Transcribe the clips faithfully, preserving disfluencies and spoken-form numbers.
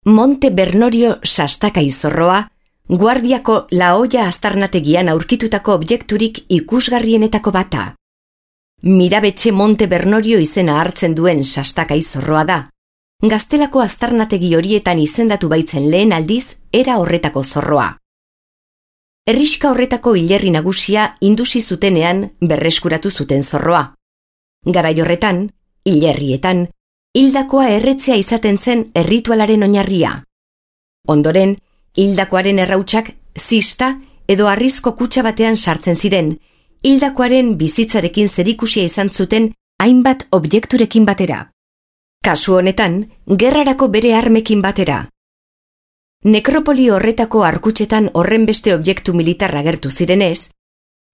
Monte Bernorio Sastaka izorroa, Guardiako La Hoya aztarnategian aurkitutako objekturik ikusgarrienetako bata. Mirabetxe Monte Bernorio izena hartzen duen Sastaka izorroa da. Gaztelako aztarnategi horietan izendatu baitzen lehen aldiz era horretako zorroa. Herrixka horretako hilerri nagusia indusi zutenean berreskuratu zuten zorroa. Garai horretan, hilerrietan, hildakoa erretzea izaten zen erritualaren oinarria. Ondoren, hildakoaren errautsak zista edo harrizko kutxa batean sartzen ziren, hildakoaren bizitzarekin zerikusia izan zuten hainbat objekturekin batera. Kasu honetan, gerrarako bere armekin batera. Nekropoli horretako arkutxetan horrenbeste objektu militar agertu zirenez,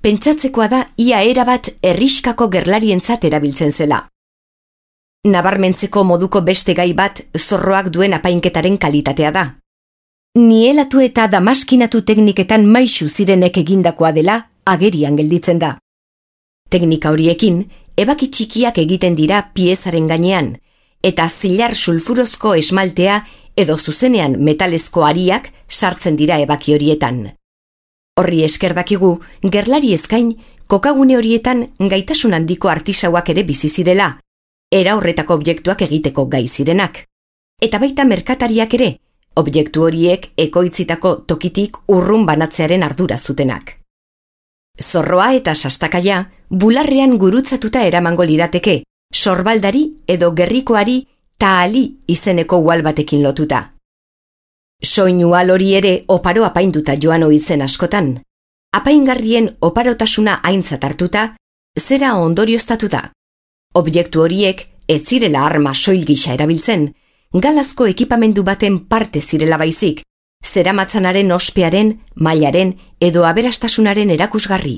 pentsatzekoa da ia erabat herrixkako gerlarientzat erabiltzen zela. Nabarmentzeko moduko beste gai bat zorroak duen apainketaren kalitatea da. Nielatu eta damaskinatu tekniketan maisu zirenek egindakoa dela agerian gelditzen da. Teknika horiekin, ebaki txikiak egiten dira piezaren gainean, eta zilar sulfurozko esmaltea edo zuzenean metalezko ariak sartzen dira ebaki horietan. Horri esker dakigu, gerlari eskain, kokagune horietan gaitasun handiko artisauak ere bizi zirela, era horretako objektuak egiteko gai zirenak. Eta baita merkatariak ere, objektu horiek ekoitzitako tokitik urrun banatzearen ardura zutenak. Zorroa eta sastakaia bularrean gurutzatuta eramango lirateke, sorbaldari edo gerrikoari taali izeneko ual batekin lotuta. Soinu ual hori ere oparo apainduta joan ohizen askotan. Apaingarrien oparotasuna aintzat hartuta, zera ondorioztatu da. Objektu horiek ez zirela arma soil gisa erabiltzen, galazko ekipamendu baten parte zirela baizik, zeramatzanaren ospearen, mailaren edo aberastasunaren erakusgarri.